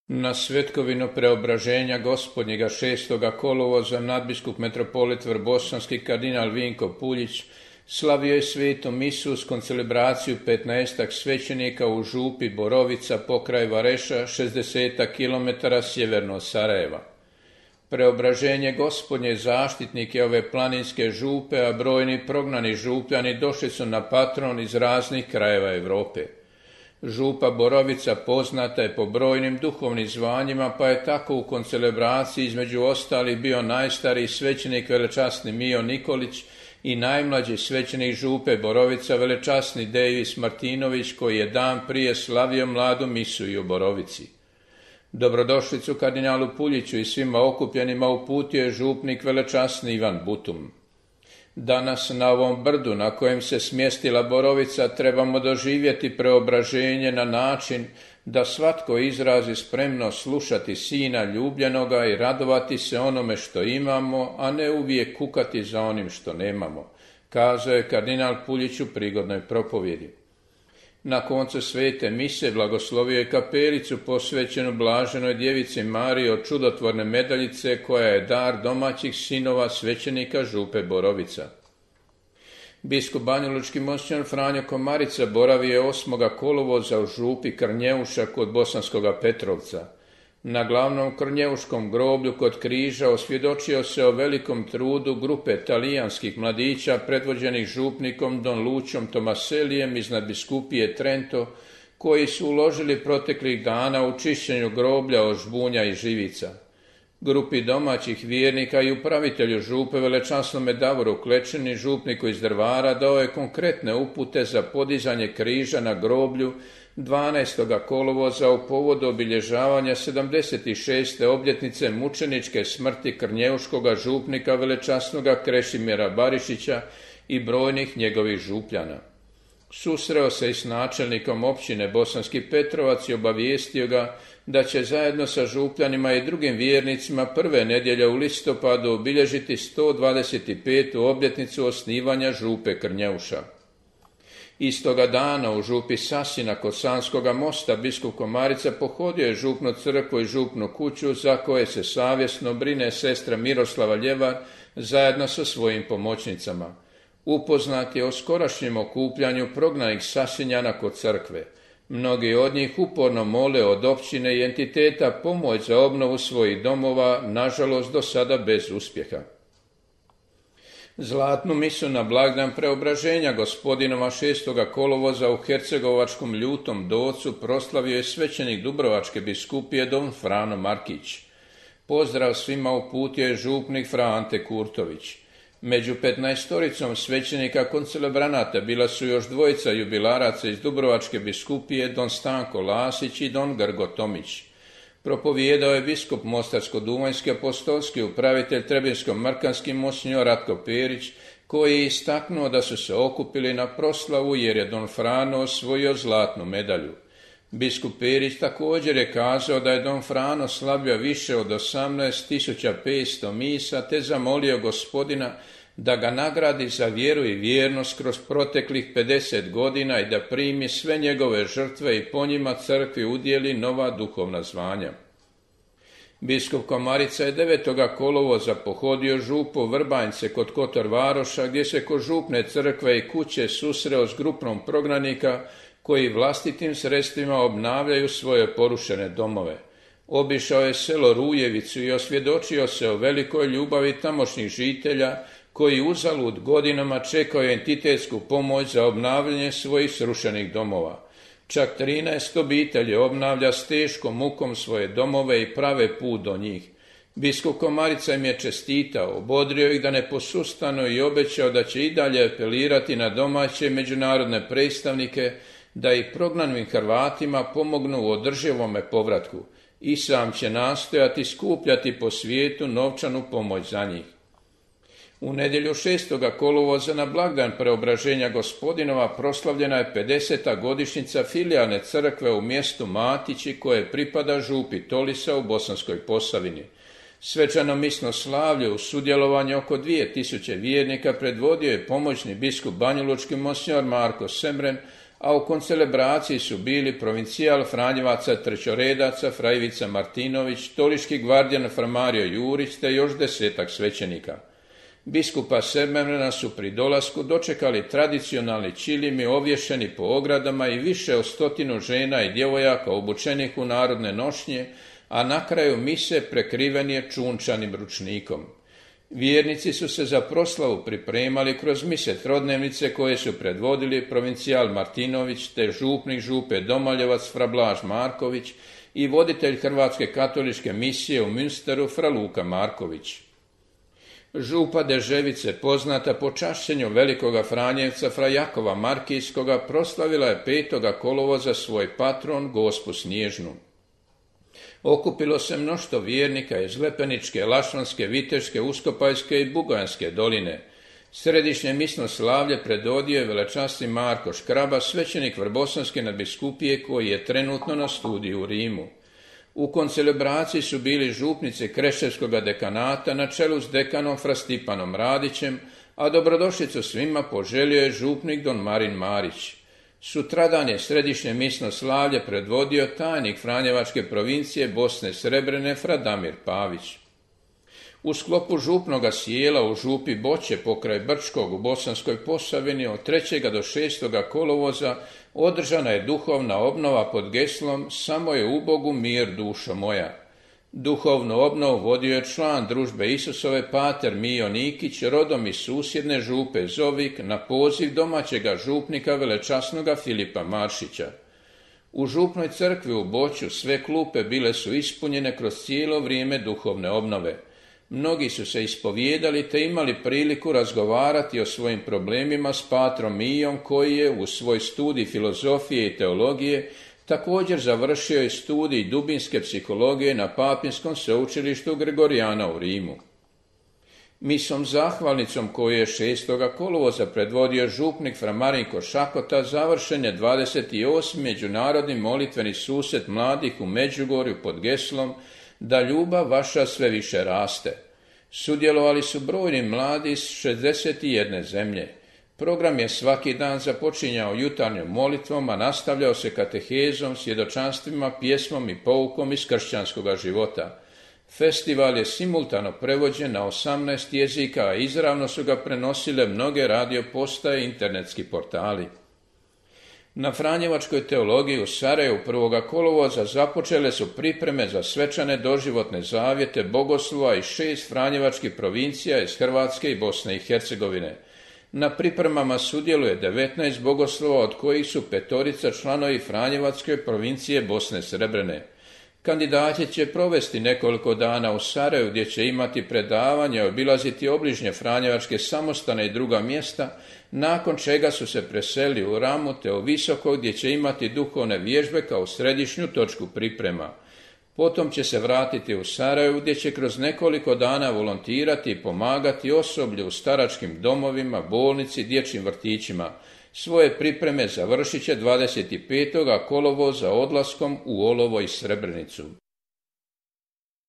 Na svetkovinu preobraženja Gospodnjega 6. kolovoza nadbiskup metropolit Vrbosanski kardinal Vinko Puljić slavio je svetu misu s koncelebraciju 15 svećenika u župi Borovica pokraj Vareša, 60 km sjeverno od Sarajeva. Preobraženje Gospodnje zaštitnik je ove planinske župe, a brojni prognani župljani došli su na patron iz raznih krajeva Europe. Župa Borovica poznata je po brojnim duhovnim zvanjima, pa je tako u koncelebraciji između ostalih bio najstariji svećenik velečasni Mio Nikolić i najmlađi svećenik župe Borovica velečasni Dejvis Martinović, koji je dan prije slavio mladu misu i u Borovici. Dobrodošlicu kardinalu Puljiću i svima okupljenima uputio je župnik velečasni Ivan Butum. Danas na ovom brdu na kojem se smjestila Borovica trebamo doživjeti preobraženje na način da svatko izrazi spremnost slušati Sina ljubljenoga i radovati se onome što imamo, a ne uvijek kukati za onim što nemamo, kazao je kardinal Puljić u prigodnoj propovjedi. Na koncu svete mise blagoslovio je kapelicu posvećenu blaženoj djevici Mariji od čudotvorne medaljice, koja je dar domaćih sinova svećenika župe Borovica. Biskup banjalučki monsignor Franjo Komarica boravio je 8. kolovoza u župi Krnjeuša kod Bosanskoga Petrovca. Na glavnom krnjeuškom groblju kod križa osvjedočio se o velikom trudu grupe talijanskih mladića predvođenih župnikom Don Lučom Tomaselijem iz nadbiskupije Trento, koji su uložili proteklih dana u čišćenju groblja od žbunja i živica. Grupi domaćih vjernika i upravitelju župe velečasnome Davoru Klečini, župniku iz Drvara, dao je konkretne upute za podizanje križa na groblju 12. kolovoza u povodu obilježavanja 76. obljetnice mučeničke smrti krnjeuškoga župnika velečasnoga Krešimira Barišića i brojnih njegovih župljana. Susreo se i s načelnikom općine Bosanski Petrovac i obavijestio ga da će zajedno sa župljanima i drugim vjernicima prve nedjelje u listopadu obilježiti 125. obljetnicu osnivanja župe Krnjeuša. Istoga dana u župi Sasina kod Sanskoga mosta biskup Komarica pohodio je župnu crkvu i župnu kuću, za koje se savjesno brine sestra Miroslava Ljevar zajedno sa svojim pomoćnicama. Upoznat je o skorašnjem okupljanju prognanih Sasinjana kod crkve. Mnogi od njih uporno mole od općine i entiteta pomoć za obnovu svojih domova, nažalost do sada bez uspjeha. Zlatnu misu na blagdan preobraženja Gospodinova 6. kolovoza u hercegovačkom Ljutom Docu proslavio je svećenik Dubrovačke biskupije don Frano Markić. Pozdrav svima uputio je župnik Fra Ante Kurtović. Među 15 svećenika koncelebranata bila su još dvojica jubilaraca iz Dubrovačke biskupije, don Stanko Lasić i don Grgo Tomić. Propovijedao je biskup Mostarsko-duvanjski apostolski upravitelj Trebinsko-Mrkanski monsignor Ratko Perić, koji je istaknuo da su se okupili na proslavu jer je don Frano osvojio zlatnu medalju. Biskup Perić također je kazao da je don Frano slavio više od 18.500 misa, te zamolio Gospodina da ga nagradi za vjeru i vjernost kroz proteklih 50 godina i da primi sve njegove žrtve i po njima crkvi udjeli nova duhovna zvanja. Biskup Komarica je 9. kolovoza pohodio župu Vrbanjce kod Kotor Varoša, gdje se kod župne crkve i kuće susreo s grupom prognanika koji vlastitim sredstvima obnavljaju svoje porušene domove. Obišao je selo Rujevicu i osvjedočio se o velikoj ljubavi tamošnjih žitelja koji uzalud godinama čekaju entitetsku pomoć za obnavljanje svojih srušenih domova. Čak 13 obitelji obnavlja s teškom mukom svoje domove i prave put do njih. Biskup Komarica im je čestitao, obodrio ih da ne posustanu i obećao da će i dalje apelirati na domaće i međunarodne predstavnike da i prognanim Hrvatima pomognu u održivome povratku. I sam će nastojati skupljati po svijetu novčanu pomoć za njih. U nedjelju 6. kolovoza na blagdan preobraženja Gospodinova proslavljena je 50. godišnjica filijalne crkve u mjestu Matići, koje pripada župi Tolisa u Bosanskoj Posavini. Svečano misno slavlje u sudjelovanju oko 2000 vjernika predvodio je pomoćni biskup banjalučki monsignor Marko Semren, a u koncelebraciji su bili provincijal Franjevaca trećoredaca fra Ivica Martinović, toliški gvardijan fra Mario Jurić te još 10-ak svećenika. Biskupa Semrena su pri dolasku dočekali tradicionalni čilimi ovješeni po ogradama i više od 100 žena i djevojaka obučenih u narodne nošnje, a na kraju mise prekriven je čunčanim ručnikom. Vjernici su se za proslavu pripremali kroz mise trodnevnice koje su predvodili provincijal Martinović te župnik župe Domaljevac fra Blaž Marković i voditelj Hrvatske katoličke misije u Münsteru fra Luka Marković. Župa Deževice, poznata po čašćenju velikoga Franjevca fra Jakova Markijskoga, proslavila je 5. kolovoza svoj patron Gospu Snježnu. Okupilo se mnoštvo vjernika iz Lepeničke, Lašvanske, Viteške, Uskopajske i Bugojanske doline. Središnje misno slavlje predvodio je velečasni Marko Škraba, svećenik Vrbosanske nadbiskupije koji je trenutno na studiju u Rimu. U koncelebraciji su bili župnici Kreševskog dekanata na čelu s dekanom fra Stipanom Radićem, a dobrodošlicu svima poželio je župnik don Marin Marić. Sutradan je središnje misno slavlje predvodio tajnik Franjevačke provincije Bosne Srebrene fra Damir Pavić. U sklopu župnoga sjela u župi Boće pokraj Brčkog u Bosanskoj Posavini od 3. do 6. kolovoza održana je duhovna obnova pod geslom Samo je u Bogu mir dušo moja. Duhovnu obnovu vodio je član družbe Isusove pater Mijo Nikić, rodom iz susjedne župe Zovik, na poziv domaćega župnika velečasnoga Filipa Maršića. U župnoj crkvi u Boću sve klupe bile su ispunjene kroz cijelo vrijeme duhovne obnove. Mnogi su se ispovijedali te imali priliku razgovarati o svojim problemima s patrom Mijom koji je u svoj studij filozofije i teologije također završio i studij dubinske psihologije na Papinskom sveučilištu Gregorijana u Rimu. Misom zahvalnicom koju je 6. kolovoza predvodio župnik fra Marinko Šakota završen je 28. međunarodni molitveni susret mladih u Međugorju pod geslom Da ljubav vaša sve više raste. Sudjelovali su brojni mladi iz 61 zemlje. Program je svaki dan započinjao jutarnjom molitvom, a nastavljao se katehezom, svjedočanstvima, pjesmom i poukom iz kršćanskog života. Festival je simultano prevođen na 18 jezika, a izravno su ga prenosile mnoge radio postaje i internetski portali. Na Franjevačkoj teologiji u Sarajevu 1. kolovoza započele su pripreme za svečane doživotne zavjete bogoslova iz 6 franjevačkih provincija iz Hrvatske i Bosne i Hercegovine. Na pripremama sudjeluje 19 bogoslova, od kojih su 5 članovi Franjevačke provincije Bosne Srebrene. Kandidati će provesti nekoliko dana u Sarajevu gdje će imati predavanje, obilaziti obližnje Franjevačke samostane i druga mjesta, nakon čega su se preselili u Ramu te u Visoko gdje će imati duhovne vježbe kao središnju točku priprema. Potom će se vratiti u Sarajevo gdje će kroz nekoliko dana volontirati i pomagati osoblju u staračkim domovima, bolnici, dječjim vrtićima. Svoje pripreme završit će 25. kolovoza odlaskom u Olovo i Srebrenicu.